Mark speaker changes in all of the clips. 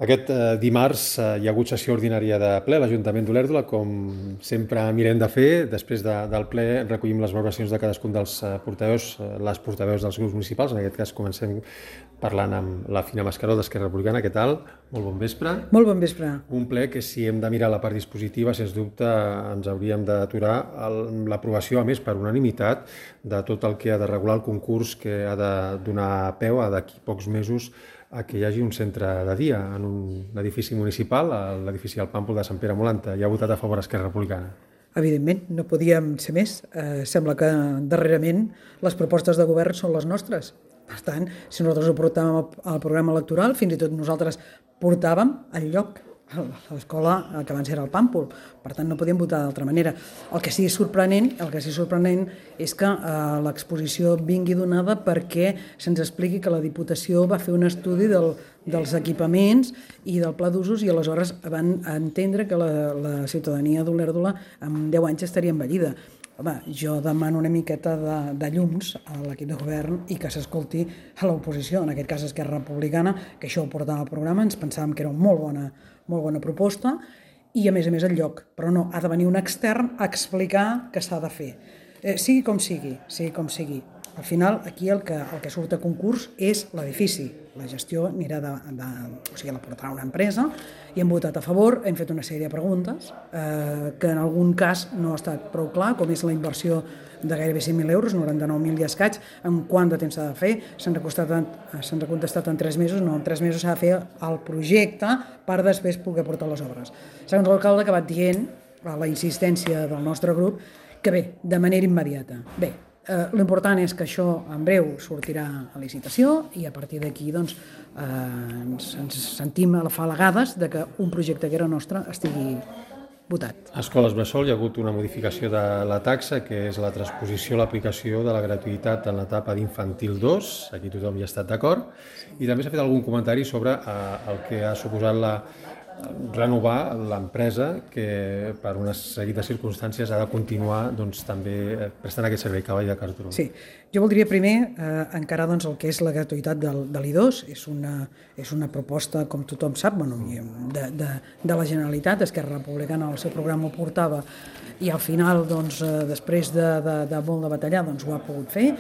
Speaker 1: Aquest dimarts hi ha hagut sessió ordinària de ple a l'Ajuntament d'Olèrdola, com sempre mirem de fer. Després del ple recollim les valoracions de cadascun dels portaveus, les portaveus dels grups municipals. En aquest cas comencem parlant amb la Fina Mascaró d'Esquerra Republicana. Què tal? Molt bon vespre.
Speaker 2: Molt bon vespre.
Speaker 1: Un ple que, si hem de mirar la part dispositiva, sens dubte ens hauríem d'aturar l'aprovació, a més per unanimitat, de tot el que ha de regular el concurs que ha de donar peu a d'aquí pocs mesos a que hi hagi un centre de dia en un edifici municipal, l'edifici del Pàmpol de Sant Pere Molanta. Hi ha votat a favor Esquerra Republicana.
Speaker 2: Evidentment, no podíem ser més. Sembla que darrerament les propostes de govern són les nostres. Per tant, si nosaltres ho portàvem al programa electoral, fins i tot nosaltres portàvem el lloc a l'escola que abans era el Pàmpol. Per tant, no podíem votar d'altra manera. El que sí sorprenent és que l'exposició vingui donada perquè se'ns expliqui que la Diputació va fer un estudi dels equipaments i del pla d'usos i aleshores van entendre que la ciutadania d'Olèrdola en 10 anys estaria envellida. Home, jo demano una miqueta de llums a l'equip de govern i que s'escolti a l'oposició, en aquest cas Esquerra Republicana, que això ho portava al programa, ens pensàvem que era una molt bona proposta i a més el lloc, però no, ha de venir un extern a explicar què s'ha de fer. Sigui com sigui. Al final, aquí el que surt a concurs és l'edifici. La gestió anirà la portarà una empresa i hem votat a favor, hem fet una sèrie de preguntes que en algun cas no ha estat prou clar, com és la inversió de gairebé 100.000 euros, 99.000 i escaig, en quant de temps s'ha de fer, se'ns ha contestat en 3 mesos, no, en 3 mesos s'ha de fer el projecte per després poder portar les obres. Segons l'alcalde ha acabat dient, a la insistència del nostre grup, que bé, de manera immediata. Bé, l'important és que això en breu sortirà a licitació i a partir d'aquí ens sentim afalagades de que un projecte que era nostre estigui votat.
Speaker 1: A escoles bressol hi ha hagut una modificació de la taxa, que és la transposició, l'aplicació de la gratuïtat en l'etapa d'infantil 2, aquí tothom hi ha estat d'acord, i també s'ha fet algun comentari sobre el que ha suposat renovar l'empresa que per una sèrie de circumstàncies ha de continuar també prestant aquest servei, Cavall de Cartó.
Speaker 2: Sí, jo voldria primer encarar el que és la gratuïtat de l'I2. És una proposta, com tothom sap, de la Generalitat. Esquerra Republicana al seu programa ho portava i al final, després de molt de batallar, ho ha pogut fer,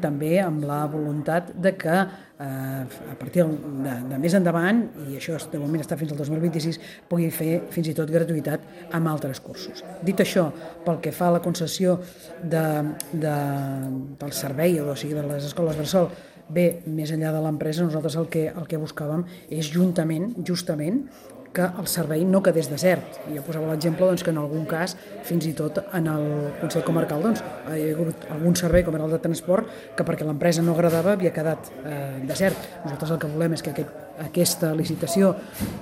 Speaker 2: també amb la voluntat de que a partir de més endavant, i això de moment està fins al 2026, pugui fer fins i tot gratuïtat amb altres cursos. Dit això, pel que fa a la concessió del servei, o sigui, de les escoles bressol, bé, més enllà de l'empresa, nosaltres el que buscàvem és justament que el servei no quedés desert. Jo posava l'exemple que en algun cas, fins i tot en el Consell Comarcal, hi ha hagut algun servei, com era el de transport, que perquè l'empresa no agradava havia quedat desert. Nosaltres el que volem és que aquesta licitació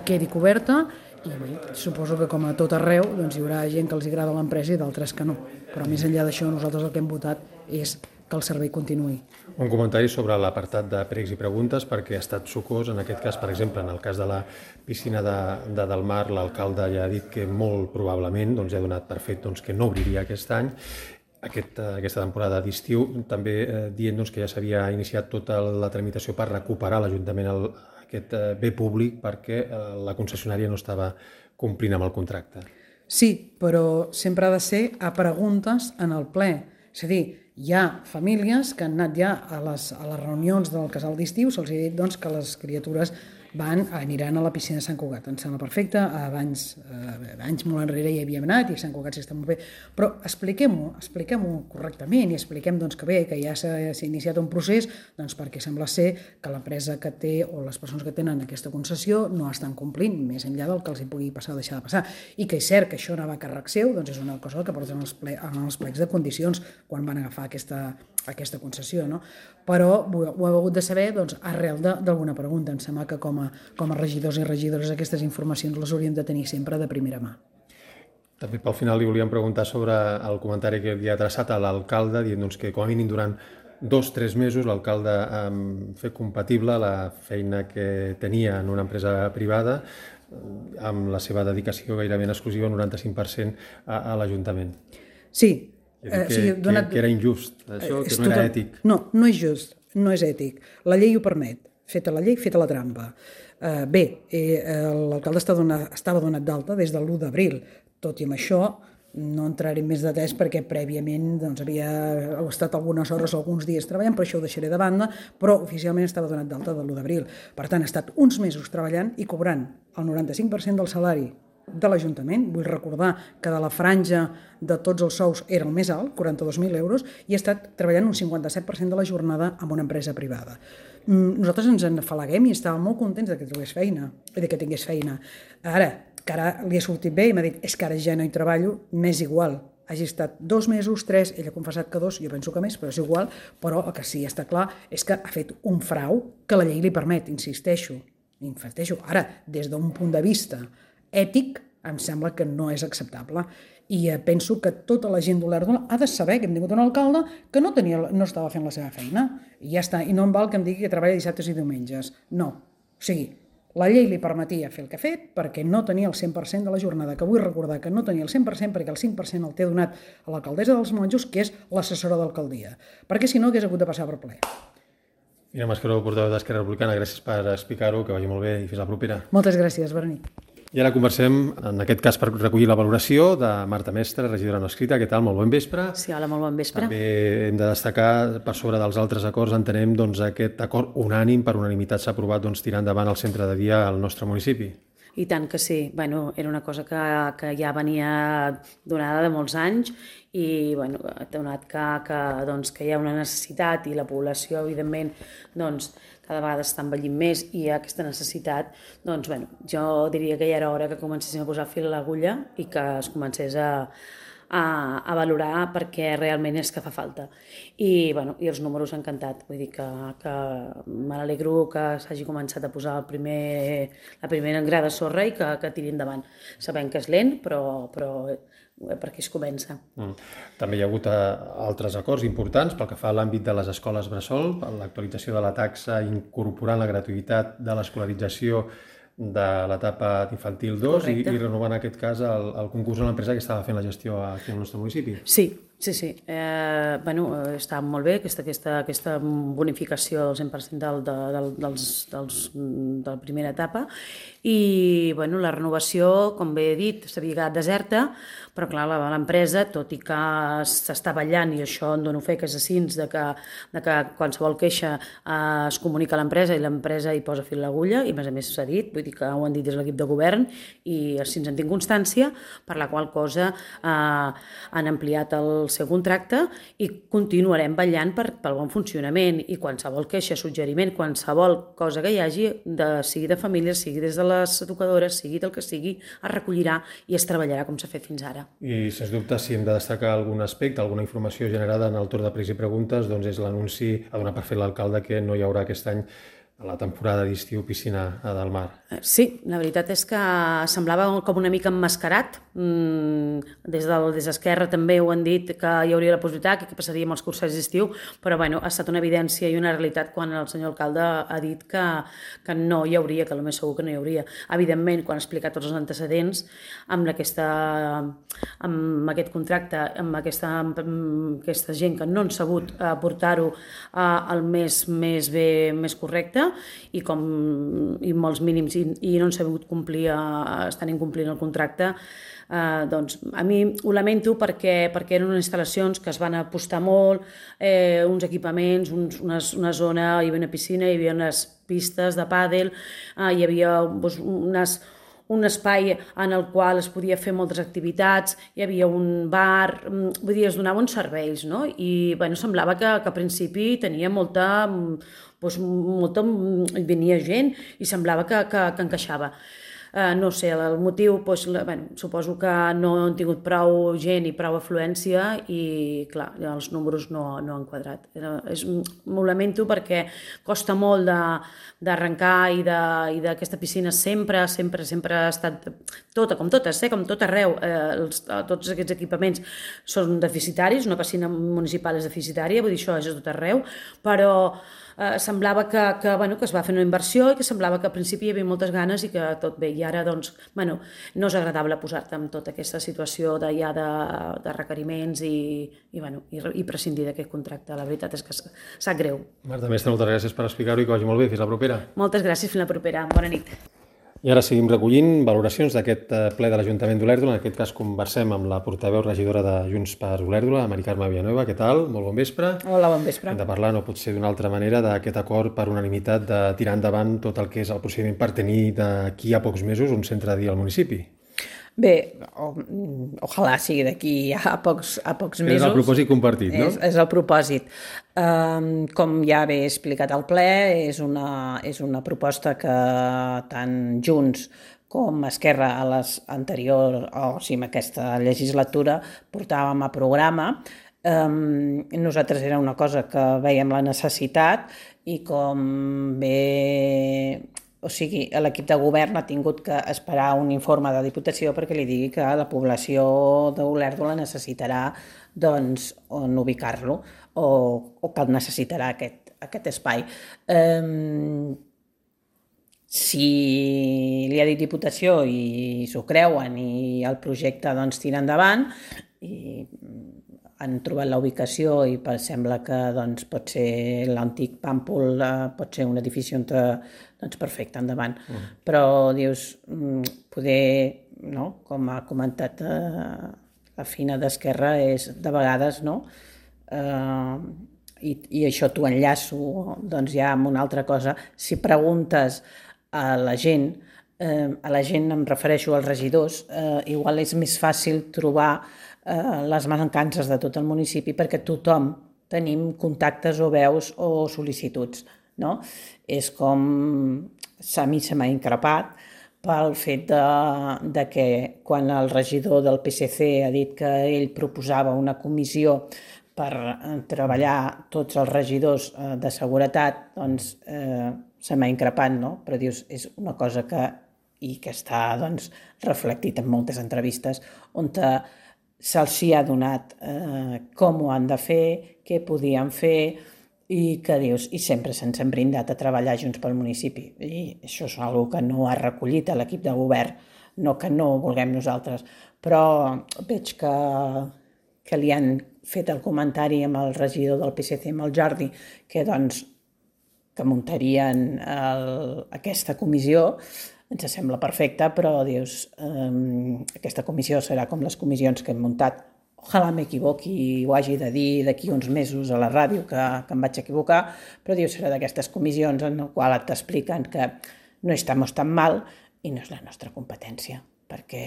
Speaker 2: quedi coberta i bé, suposo que com a tot arreu hi haurà gent que els agrada l'empresa i d'altres que no. Però més enllà d'això, nosaltres el que hem votat és que el servei continuï.
Speaker 1: Un comentari sobre l'apartat de pregs i preguntes, perquè ha estat sucós, en aquest cas, per exemple, en el cas de la piscina de Del Mar, l'alcalde ja ha dit que molt probablement ja ha donat per fet que no obriria aquest any, aquesta temporada d'estiu, també dient que ja s'havia iniciat tota la tramitació per recuperar l'Ajuntament aquest bé públic perquè la concessionària no estava complint amb el contracte.
Speaker 2: Sí, però sempre ha de ser a preguntes en el ple. És a dir, hi ha famílies que han anat ja a les reunions del casal d'estiu, se'ls ha dit que les criatures aniran a la piscina de Sant Cugat. Em sembla perfecte, anys molt enrere hi havíem anat i Sant Cugat sí està molt bé, però expliquem-ho correctament i expliquem que bé, que ja s'ha iniciat un procés perquè sembla ser que l'empresa que té o les persones que tenen aquesta concessió no estan complint, més enllà del que els hi pugui passar o deixar de passar, i que és cert que això anava a càrrec seu, és una cosa que porten en els plecs de condicions quan van agafar aquesta concessió, no? Però ho heu hagut de saber arrel d'alguna pregunta. Em sembla que com a regidors i regidores aquestes informacions les hauríem de tenir sempre de primera mà.
Speaker 1: També pel final li volíem preguntar sobre el comentari que havia adreçat a l'alcalde, dient que com a mínim durant 2-3 mesos l'alcalde fer compatible la feina que tenia en una empresa privada amb la seva dedicació gairebé en exclusiva, 95% a l'Ajuntament.
Speaker 2: Sí.
Speaker 1: Que era injust, això, que no era ètic.
Speaker 2: No és just, no és ètic. La llei ho permet. Feta la llei, feta la trampa. Bé, l'alcalde estava donat d'alta des de l'1 d'abril, tot i amb això no entraré en més detalls perquè prèviament havia estat algunes hores o alguns dies treballant, però això ho deixaré de banda, però oficialment estava donat d'alta de l'1 d'abril. Per tant, ha estat uns mesos treballant i cobrant el 95% del salari de l'Ajuntament. Vull recordar que de la franja de tots els sous era el més alt, 42.000 euros, i ha estat treballant un 57% de la jornada amb una empresa privada. Nosaltres ens en afalaguem i estàvem molt contents que tingués feina. Ara, que ara li ha sortit bé i m'ha dit és que ara ja no hi treballo, m'és igual. Hagi estat 2 mesos, 3, ell ha confessat que 2, jo penso que més, però és igual, però el que sí està clar és que ha fet un frau que la llei li permet, insisteixo. Ara, des d'un punt de vista ètic, em sembla que no és acceptable. I penso que tota la gent d'Olèrdola ha de saber que hem tingut un alcalde que no estava fent la seva feina. I ja està, i no em val que em digui que treballa dissabtes i diumenges. No, o sigui, la llei li permetia fer el que ha fet perquè no tenia el 100% de la jornada, que vull recordar que no tenia el 100% perquè el 5% el té donat a l'alcaldessa dels Monjos, que és l'assessora d'alcaldia, perquè si no hagués hagut de passar per ple.
Speaker 1: Mira, Mascaró, portaveu d'Esquerra Republicana, gràcies per explicar-ho, que vagi molt bé i fins la propera.
Speaker 2: Moltes gràcies, Berni.
Speaker 1: I ara conversem, en aquest cas, per recollir la valoració de Marta Mestre, regidora no escrita. Què tal? Molt bon vespre.
Speaker 3: Sí, hola, molt bon vespre.
Speaker 1: També hem de destacar, per sobre dels altres acords, entenem aquest acord unànim, per unanimitat s'ha aprovat tirar endavant el centre de dia al nostre municipi.
Speaker 3: I tant que sí. Era una cosa que ja venia donada de molts anys i donat que hi ha una necessitat i la població, evidentment, cada vegada està envellint més i hi ha aquesta necessitat, jo diria que ja era hora que comencéssim a posar fil a l'agulla i que es comencés a valorar perquè realment és que fa falta. I els números han cantat, vull dir que me n'alegro que s'hagi començat a posar la primera gra de sorra i que tiri endavant. Sabem que és lent, però per aquí es comença.
Speaker 1: També hi ha hagut altres acords importants pel que fa a l'àmbit de les escoles bressol, per l'actualització de la taxa incorporant la gratuïtat de l'escolarització de l'etapa infantil 2 i renovant en aquest cas el concurs a l'empresa que estava fent la gestió aquí al nostre municipi.
Speaker 3: Sí. Està molt bé aquesta bonificació del 100% de la primera etapa i la renovació, com bé he dit, s'havia quedat deserta, però clar, l'empresa, tot i que s'està ballant, i això en dono fe que és així, de que qualsevol queixa es comunica a l'empresa i l'empresa hi posa fil a l'agulla, i a més s'ha dit, vull dir que ho han dit des de l'equip de govern i així ens en tinc constància, per la qual cosa han ampliat el seu contracte i continuarem vetllant pel bon funcionament i qualsevol queixa, suggeriment, qualsevol cosa que hi hagi, sigui de famílies, sigui des de les educadores, sigui del que sigui, es recollirà i es treballarà com s'ha fet fins ara.
Speaker 1: I, sens dubte, si hem de destacar algun aspecte, alguna informació generada en el torn de pregs i preguntes, és l'anunci a donar per fet l'alcalde que no hi haurà aquest any a la temporada d'estiu piscina a Del Mar.
Speaker 3: Sí, la veritat és que semblava com una mica emmascarat. Des d'Esquerra també ho han dit que hi hauria la possibilitat, que passaria amb els cursos d'estiu, però ha estat una evidència i una realitat quan el senyor alcalde ha dit que no hi hauria, que el més segur que no hi hauria. Evidentment, quan ha explicat tots els antecedents, amb aquest contracte, amb aquesta gent que no han sabut portar-ho al més bé, més correcte, i molts mínims i no han sabut complir, estan incomplint el contracte, a mi ho lamento perquè eren unes instal·lacions que es van apostar molt, uns equipaments, una zona, hi havia una piscina, hi havia unes pistes de pàdel, hi havia un espai en el qual es podia fer moltes activitats, hi havia un bar, vull dir, es donaven serveis, no? I semblava que a principi tenia molta venia gent i semblava que encaixava. No sé, el motiu, suposo que no han tingut prou gent i prou afluència i, clar, els números no han quadrat. M'ho lamento perquè costa molt d'arrencar i d'aquesta piscina sempre ha estat com tot arreu. Tots aquests equipaments són deficitaris, una piscina municipal és deficitària, vull dir, això és a tot arreu, però semblava que es va fer una inversió i que semblava que al principi hi havia moltes ganes i que tot bé. I ara, doncs, no és agradable posar-te en tota aquesta situació de requeriments i prescindir d'aquest contracte. La veritat és que sap greu.
Speaker 1: Marta Mestre, moltes gràcies per explicar-ho i que vagi molt bé. Fins la propera.
Speaker 3: Moltes gràcies, fins la propera. Bona nit.
Speaker 1: I ara seguim recollint valoracions d'aquest ple de l'Ajuntament d'Olèrdola. En aquest cas conversem amb la portaveu regidora de Junts per Olèrdola, Mari Carme Villanueva. Què tal? Molt bon vespre.
Speaker 2: Hola, bon vespre.
Speaker 1: Hem de parlar, no pot ser d'una altra manera, d'aquest acord per unanimitat de tirar endavant tot el que és el procediment per tenir d'aquí a pocs mesos un centre de dia al municipi.
Speaker 4: Bé, ojalà sigui d'aquí a pocs mesos.
Speaker 1: És el propòsit compartit, no?
Speaker 4: És el propòsit. Com ja he explicat al ple, és una proposta que tant Junts com Esquerra a les anteriors, en aquesta legislatura, portàvem a programa. Nosaltres era una cosa que veiem la necessitat i com bé... O sigui, l'equip de govern ha tingut que esperar un informe de Diputació perquè li digui que la població d'Olèrdola necessitarà doncs, on ubicar-lo o que necessitarà aquest espai. Si li ha dit Diputació i s'ho creuen i el projecte doncs, tira endavant i han trobat la ubicació i sembla que doncs, pot ser l'antic Pàmpol, pot ser un edifici on doncs perfecte, endavant. Però dius, poder, no? Com ha comentat la Fina d'Esquerra, és de vegades, no? I això t'ho enllaço doncs, ja amb una altra cosa. Si preguntes a la gent em refereixo als regidors, igual és més fàcil trobar les mancances de tot el municipi perquè tothom tenim contactes o veus o sol·licituds, no? És com a mi se m'ha increpat pel fet de que quan el regidor del PSC ha dit que ell proposava una comissió per treballar tots els regidors de seguretat, doncs se m'ha increpat, no? Però dius, és una cosa que està doncs, reflectit en moltes entrevistes on se'ls ha donat com ho han de fer, què podien fer i que dius, i sempre se'ns han brindat a treballar junts pel municipi. I això és una cosa que no ha recollit a l'equip de govern, no que no ho vulguem nosaltres, però veig que li han fet el comentari amb el regidor del PSC, amb el Jordi, que doncs que muntarien aquesta comissió. Ens sembla perfecte, però dius, aquesta comissió serà com les comissions que hem muntat. Ojalà m'equivoqui i ho hagi de dir d'aquí uns mesos a la ràdio que em vaig equivocar, però dius, serà d'aquestes comissions en les quals t'expliquen que no estamos tan mal i no és la nostra competència, perquè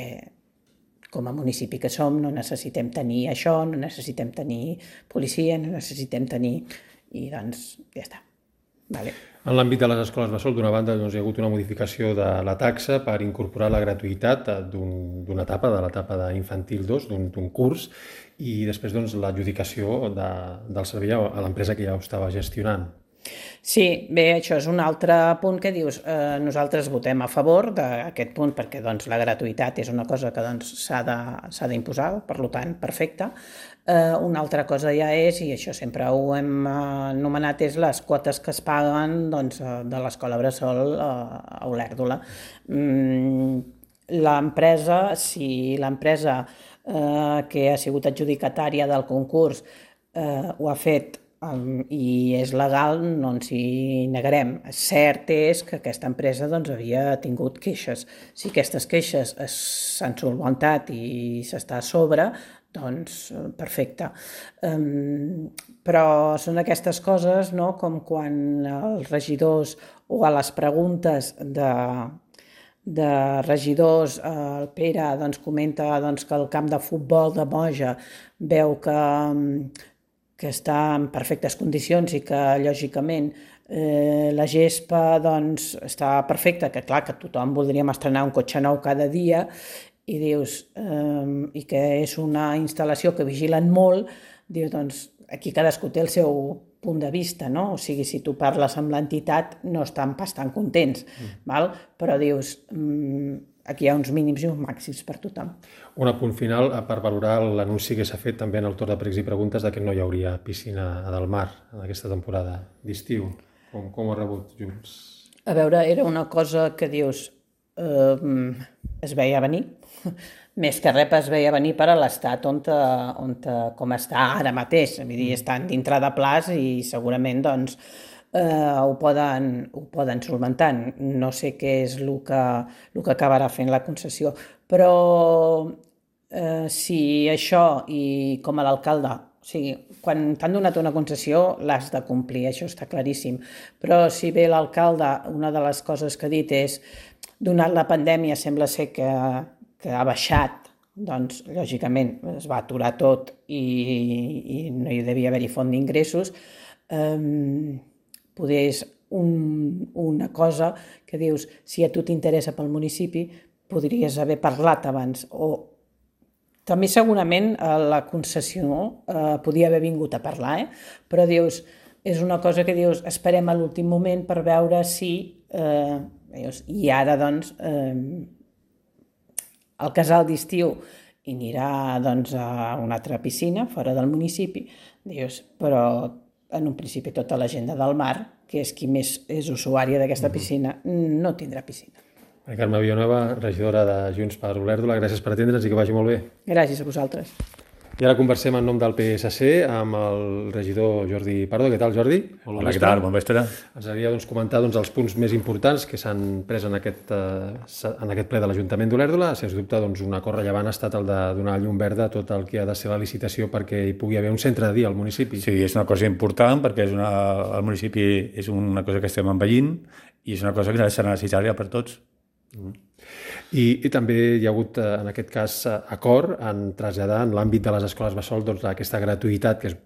Speaker 4: com a municipi que som no necessitem tenir això, no necessitem tenir policia, no necessitem tenir... I doncs ja està. Vale.
Speaker 1: En l'àmbit de les escoles bressol, d'una banda, doncs, hi ha hagut una modificació de la taxa per incorporar la gratuïtat d'una etapa, de l'etapa d'infantil 2, d'un curs, i després doncs, l'adjudicació del servei a l'empresa que ja ho estava gestionant.
Speaker 4: Sí, bé, això és un altre punt que dius, nosaltres votem a favor d'aquest punt perquè doncs, la gratuïtat és una cosa que doncs, s'ha d'imposar, per tant, perfecte. Una altra cosa ja és, i això sempre ho hem anomenat, és les quotes que es paguen doncs, de l'escola bressol a Olèrdola. L'empresa, si l'empresa que ha sigut adjudicatària del concurs ho ha fet i és legal, no ens hi negarem. Cert és que aquesta empresa doncs, havia tingut queixes. Si aquestes queixes s'han solventat i s'està a sobre, doncs perfecte. Però són aquestes coses, no? Com quan els regidors o a les preguntes de regidors, el Pere doncs, comenta doncs, que el camp de futbol de Moja veu que està en perfectes condicions i que, lògicament, la gespa doncs, està perfecta, que clar, que tothom voldríem estrenar un cotxe nou cada dia, i dius, i que és una instal·lació que vigilen molt, dius, doncs, aquí cadascú té el seu punt de vista, no? O sigui, si tu parles amb l'entitat, no estan pas tan contents, val? Però dius, aquí hi ha uns mínims i uns màxims per tothom.
Speaker 1: Un apunt final per valorar l'anunci que s'ha fet també en el torn de pregs i preguntes de que no hi hauria piscina a Del Mar en aquesta temporada d'estiu. Com ho ha rebut Junts?
Speaker 4: A veure, era una cosa que dius, es veia venir, més que res es veia venir per a l'estat com està ara mateix, vull dir, estan dintre de plaç i segurament doncs, ho poden solventar. No sé què és el que acabarà fent la concessió, però si això i com a l'alcalde, o sigui, quan t'han donat una concessió l'has de complir, això està claríssim, però si bé l'alcalde, una de les coses que ha dit és, donat la pandèmia sembla ser que ha baixat, doncs lògicament es va aturar tot i no hi devia haver-hi font d'ingressos, poder és una cosa que dius, si a tu t'interessa pel municipi, podries haver parlat abans, o també segurament la concessió podia haver vingut a parlar, però dius, és una cosa que dius, esperem a l'últim moment per veure si, i ara doncs, el casal d'estiu i anirà doncs, a una altra piscina fora del municipi, dius, però en un principi tota la gent de Del Mar, que és qui més és usuària d'aquesta piscina, no tindrà piscina.
Speaker 1: Carme Villanueva, regidora de Junts per Olèrdola, gràcies per atendre'ns i que vagi molt bé.
Speaker 4: Gràcies a vosaltres.
Speaker 1: I ara conversem en nom del PSC amb el regidor Jordi Pardo. Què tal, Jordi?
Speaker 5: Hola, què tal? Bon vespre.
Speaker 1: Ens agradaria comentar els punts més importants que s'han pres en aquest ple de l'Ajuntament d'Olèrdola. Sens dubte, un acord rellevant ha estat el de donar llum verda a tot el que ha de ser la licitació perquè hi pugui haver un centre de dia al municipi.
Speaker 5: Sí, és una cosa important perquè el municipi és una cosa que estem envellint i és una cosa que serà necessària per tots.
Speaker 1: I també hi ha hagut, en aquest cas, acord en traslladar en l'àmbit de les escoles bressol aquesta gratuïtat que és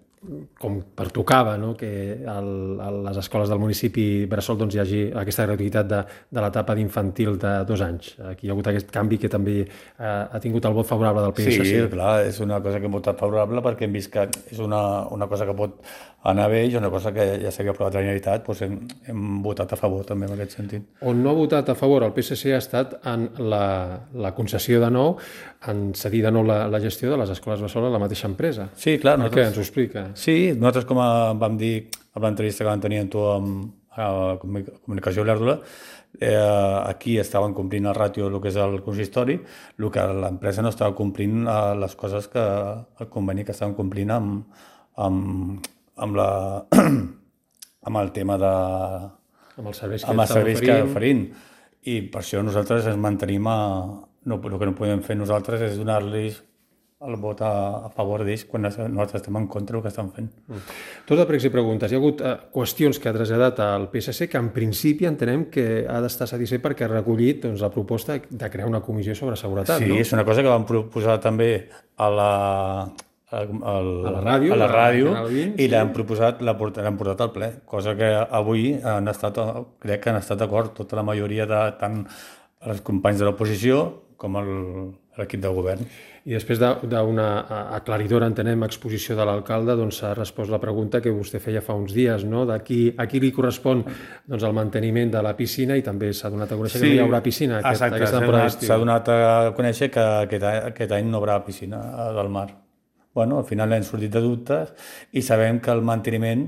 Speaker 1: com pertocava, no? Que a les escoles del municipi bressol hi hagi aquesta gratuïtat de l'etapa d'infantil de 2 anys. Aquí hi ha hagut aquest canvi que també ha tingut el vot favorable del PSC.
Speaker 5: Sí, clar, és una cosa que hem votat favorable perquè hem vist que és una cosa que pot anar bé i una cosa que ja s'havia aprovat a la Generalitat, doncs hem votat a favor també en aquest sentit.
Speaker 1: On no ha votat a favor el PSC ha estat en la concessió de nou, en cedir de nou la gestió de les escoles bressol a la mateixa empresa.
Speaker 5: Sí, clar.
Speaker 1: Per què? Ens ho explica.
Speaker 5: Sí, nosaltres, com vam dir a l'entrevista que vam tenir amb tu a Comunicació Olèrdola, aquí estaven complint el ràtio del que és el consistori, el que l'empresa no estava complint les coses que el conveni que estaven complint amb el tema de...
Speaker 1: Amb els serveis
Speaker 5: que oferint. I per això nosaltres ens mantenim el que no podem fer nosaltres és donar-los el vot a favor d'ells quan nosaltres estem en contra del que estan fent.
Speaker 1: Tot de pregs i preguntes. Hi ha hagut qüestions que ha traslladat al PSC que en principi entenem que ha d'estar satisfet perquè ha recollit la proposta de crear una comissió sobre seguretat.
Speaker 5: Sí, no? És una cosa que vam proposar també a la ràdio i l'hem portat al ple, cosa que avui crec que han estat d'acord tota la majoria de tant els companys de l'oposició com l'equip de govern.
Speaker 1: I després d'una aclaridora, entenem, exposició de l'alcalde, s'ha respost la pregunta que vostè feia fa uns dies, no? A qui li correspon el manteniment de la piscina i també s'ha donat a conèixer que no hi haurà piscina aquesta temporada d'estiu.
Speaker 5: S'ha donat a conèixer que aquest any no hi haurà piscina del mar. Bueno, al final hem sortit de dubtes i sabem que el manteniment,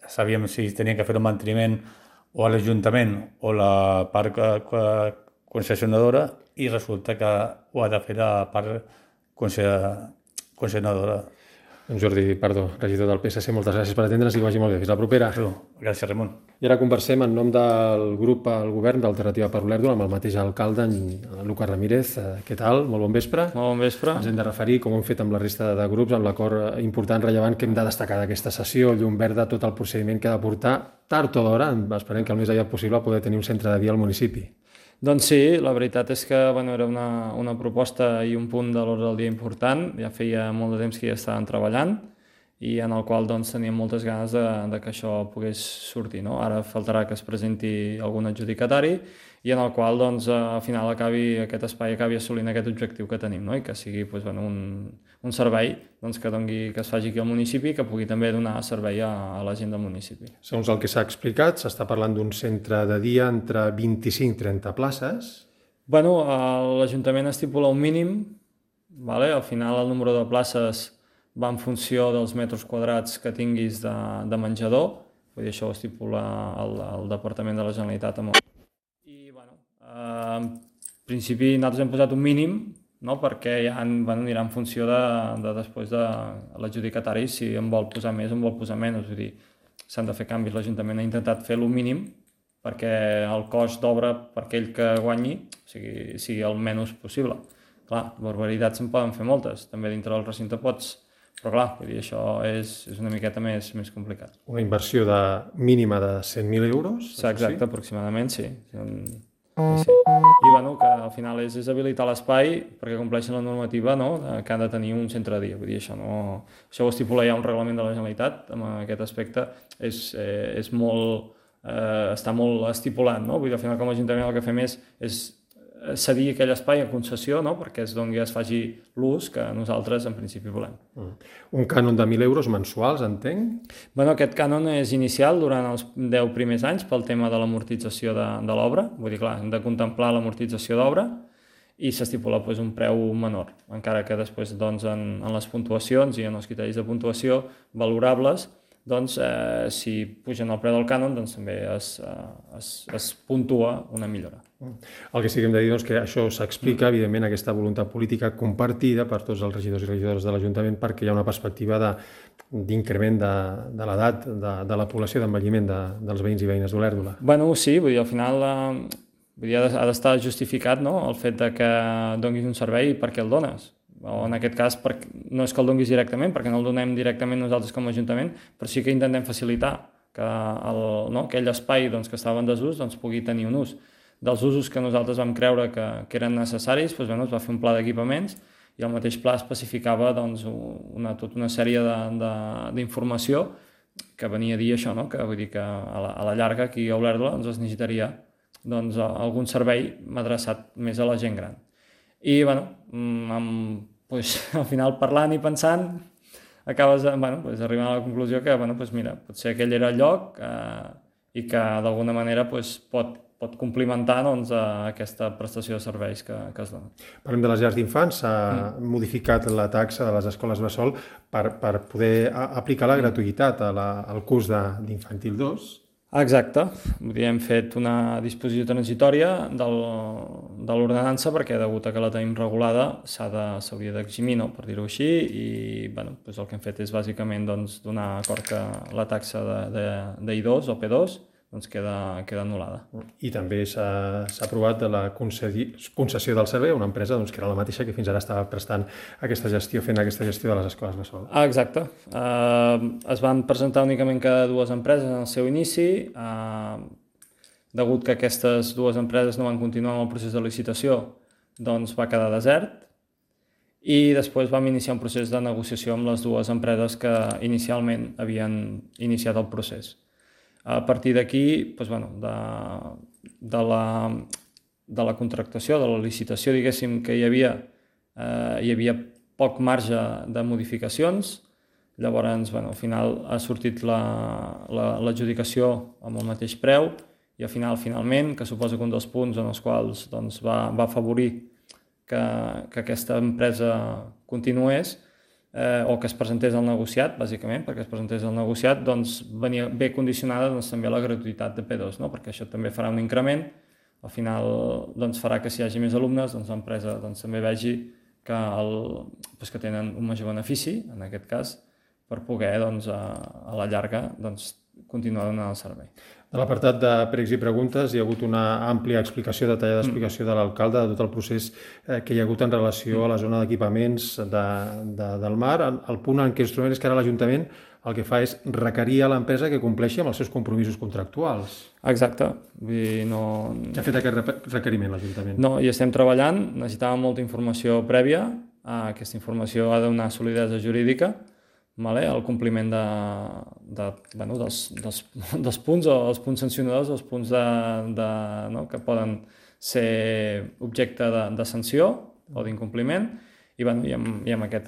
Speaker 5: sabíem si tenien que fer un manteniment o a l'Ajuntament o la part concessionadora i resulta que ho ha de fer la part concessionadora.
Speaker 1: Jordi Pardo, regidor del PSC, moltes gràcies per atendre'ns i que vagi molt bé. Fins la propera.
Speaker 5: Gràcies, Ramon.
Speaker 1: I ara conversem en nom del grup al govern d'Alternativa per Olèrdola amb el mateix alcalde, en Lucas Ramírez. Què tal? Molt bon vespre.
Speaker 6: Molt bon vespre.
Speaker 1: Ens hem de referir, com hem fet amb la resta de grups, amb l'acord important, rellevant, que hem de destacar d'aquesta sessió, llum verda, tot el procediment que ha de portar, tard o d'hora, esperem que el més aviat possible poder tenir un centre de dia al municipi.
Speaker 6: Doncs sí, la veritat és que era una proposta i un punt de l'ordre del dia important, ja feia molt de temps que hi estàvem treballant i en el qual teníem moltes ganes de que això pogués sortir. No? Ara faltarà que es presenti algun adjudicatari i en el qual al final aquest espai acabi assolint aquest objectiu que tenim, no? I que sigui un servei que es faci aquí al municipi i que pugui també donar servei a la gent del municipi.
Speaker 1: Segons el que s'ha explicat, s'està parlant d'un centre de dia entre 25 i 30 places.
Speaker 6: L'Ajuntament estipula un mínim, al final el número de places va en funció dels metres quadrats que tinguis de menjador. vull dir, això ho estipula el Departament de la Generalitat. I, bueno, en principi nosaltres hem posat un mínim, no? Perquè ja anirà en funció de després de l'adjudicatari, si en vol posar més o en vol posar menys. Vull dir, s'han de fer canvis. L'Ajuntament ha intentat fer el mínim perquè el cost d'obra per aquell que guanyi sigui el menys possible. Clar, barbaritats se'n poden fer moltes, també dintre del recinte pots, però clar, vull dir, això és una miqueta més complicat.
Speaker 1: Una inversió mínima de 100.000 euros?
Speaker 6: Sí, exacte, aproximadament, sí. Sí. I bueno, que al final és habilitar l'espai perquè compleixen la normativa, no? Que han de tenir un centre de dia. Vull dir, això ho estipula ja un reglament de la Generalitat, en aquest aspecte és molt, està molt estipulat, no? Vull dir, al final com a Ajuntament el que fem és cedir aquell espai a concessió, no? Perquè es faci l'ús que nosaltres en principi volem.
Speaker 1: Un cànon de 1.000 euros mensuals, entenc?
Speaker 6: Bueno, aquest cànon és inicial durant els 10 primers anys pel tema de l'amortització de l'obra. Vull dir, clar, hem de contemplar l'amortització d'obra i s'estipula un preu menor, encara que després en les puntuacions i en els criteris de puntuació valorables, si pugen el preu del cànon, també es puntua una millora.
Speaker 1: El que sí que hem de dir que això s'explica, evidentment, aquesta voluntat política compartida per tots els regidors i regidores de l'Ajuntament perquè hi ha una perspectiva d'increment de l'edat de la població, d'envelliment dels veïns i veïnes d'Olèrdola.
Speaker 6: Bueno, sí, vull dir, al final ha d'estar justificat, no?, el fet que donis un servei i per què el dones. O en aquest cas no és que el donguis directament, perquè no el donem directament nosaltres com a Ajuntament, però sí que intentem facilitar que aquell espai que estava en desús pugui tenir un ús. Dels usos que nosaltres vam creure que eren necessaris, es va fer un pla d'equipaments i el mateix pla especificava tota una sèrie d'informació que venia a dir això, que vull dir que a la llarga aquí a Olèrdola es necessitaria algun servei adreçat més a la gent gran. I al final parlant i pensant acabes arribant a la conclusió que potser aquell era el lloc i que d'alguna manera pot complementar aquesta prestació de serveis que es dona.
Speaker 1: Parlem de les llars d'infants, s'ha modificat la taxa de les escoles bressol per poder aplicar la gratuïtat al curs d'infantil 2.
Speaker 6: Exacte, hem fet una disposició transitòria de l'ordenança perquè degut a que la tenim regulada s'hauria d'eximir, per dir-ho així, i el que hem fet és bàsicament donar acord que la taxa d'I2 o P2 queda anul·lada.
Speaker 1: I també s'ha aprovat la concessió del servei a una empresa que era la mateixa que fins ara estava prestant fent aquesta gestió de les escoles bressol.
Speaker 6: Exacte. Es van presentar únicament cada dues empreses en el seu inici. Degut que aquestes dues empreses no van continuar amb el procés de licitació, va quedar desert. I després vam iniciar un procés de negociació amb les dues empreses que inicialment havien iniciat el procés. A partir d'aquí, de la contractació, de la licitació, diguéssim, que hi havia poc marge de modificacions. Llavors, al final ha sortit l'adjudicació amb el mateix preu i al finalment, que suposa que un dels punts en els quals va afavorir que aquesta empresa continués, o que es presentés al negociat, bàsicament, perquè es presentés al negociat, venia bé condicionada també a la gratuïtat de P2, perquè això també farà un increment, al final farà que si hi hagi més alumnes, l'empresa també vegi que tenen un major benefici, en aquest cas, per poder a la llarga continuar donant el servei.
Speaker 1: A l'apartat de pregs i preguntes hi ha hagut una àmplia explicació, detallada explicació de l'alcalde de tot el procés que hi ha hagut en relació a la zona d'equipaments del mar. El punt en què ens trobem és que ara l'Ajuntament el que fa és requerir a l'empresa que compleixi amb els seus compromisos contractuals.
Speaker 6: Exacte.
Speaker 1: Ja ha fet aquest requeriment l'Ajuntament?
Speaker 6: No, hi estem treballant, necessitàvem molta informació prèvia, aquesta informació ha de donar solidesa jurídica, el compliment dels punts o els punts sancionadors, els punts que poden ser objecte de sanció o d'incompliment i en aquest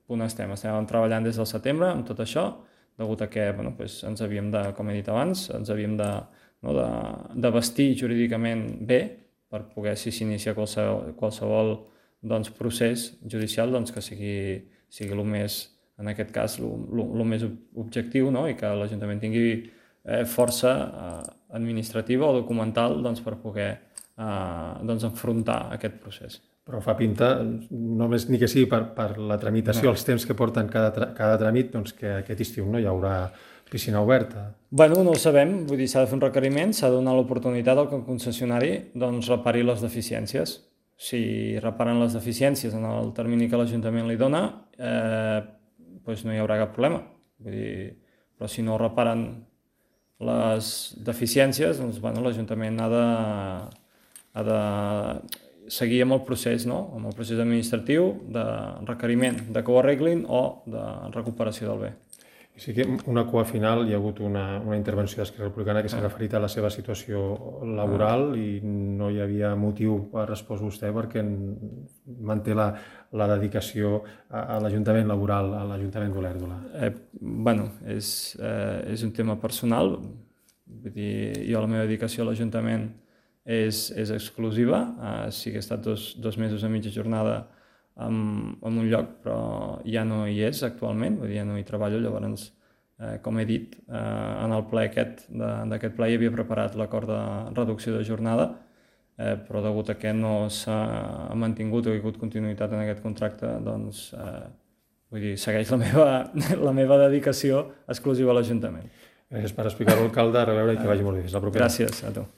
Speaker 6: punt estem treballant des del setembre amb tot això, degut a que ens havíem de, com he dit abans, ens havíem de vestir jurídicament bé per poder, si s'inicia qualsevol procés judicial, que sigui el més en aquest cas, el més objectiu, no? I que l'Ajuntament tingui força administrativa o documental doncs, per poder enfrontar aquest procés.
Speaker 1: Però fa pinta, només ni que sigui per la tramitació, els temps que porten cada tràmit, doncs que aquest estiu no hi haurà piscina oberta.
Speaker 6: Bueno, no ho sabem, vull dir, s'ha de fer un requeriment, s'ha de donar l'oportunitat al que el concessionari doncs, repari les deficiències. Si reparen les deficiències en el termini que l'Ajuntament li dona, doncs no hi haurà cap problema. Vull dir, però si no reparen les deficiències, doncs bueno, l'Ajuntament ha de seguir amb el procés, no? Amb el procés administratiu de requeriment de que ho arreglin o de recuperació del bé.
Speaker 1: I sí que una cua final hi ha hagut una intervenció d'Esquerra Republicana que s'ha referit a la seva situació laboral i no hi havia motiu per respondre vostè perquè manté la dedicació a l'Ajuntament laboral, a l'Ajuntament d'Olèrdola.
Speaker 6: Bueno, és un tema personal. Vull dir, jo la meva dedicació a l'Ajuntament és exclusiva. Sí que he estat dos mesos a mitja jornada en un lloc, però ja no hi és actualment, vull dir, ja no hi treballo, llavors, com he dit, en el ple d'aquest ple hi havia preparat l'acord de reducció de jornada, però degut a que no s'ha mantingut o hi ha hagut continuïtat en aquest contracte, doncs, vull dir, segueix la meva dedicació exclusiva a l'Ajuntament.
Speaker 1: Gràcies per explicar-ho, alcalde, a reveure i que vagi molt bé. Fins la propera.
Speaker 6: Gràcies a tu.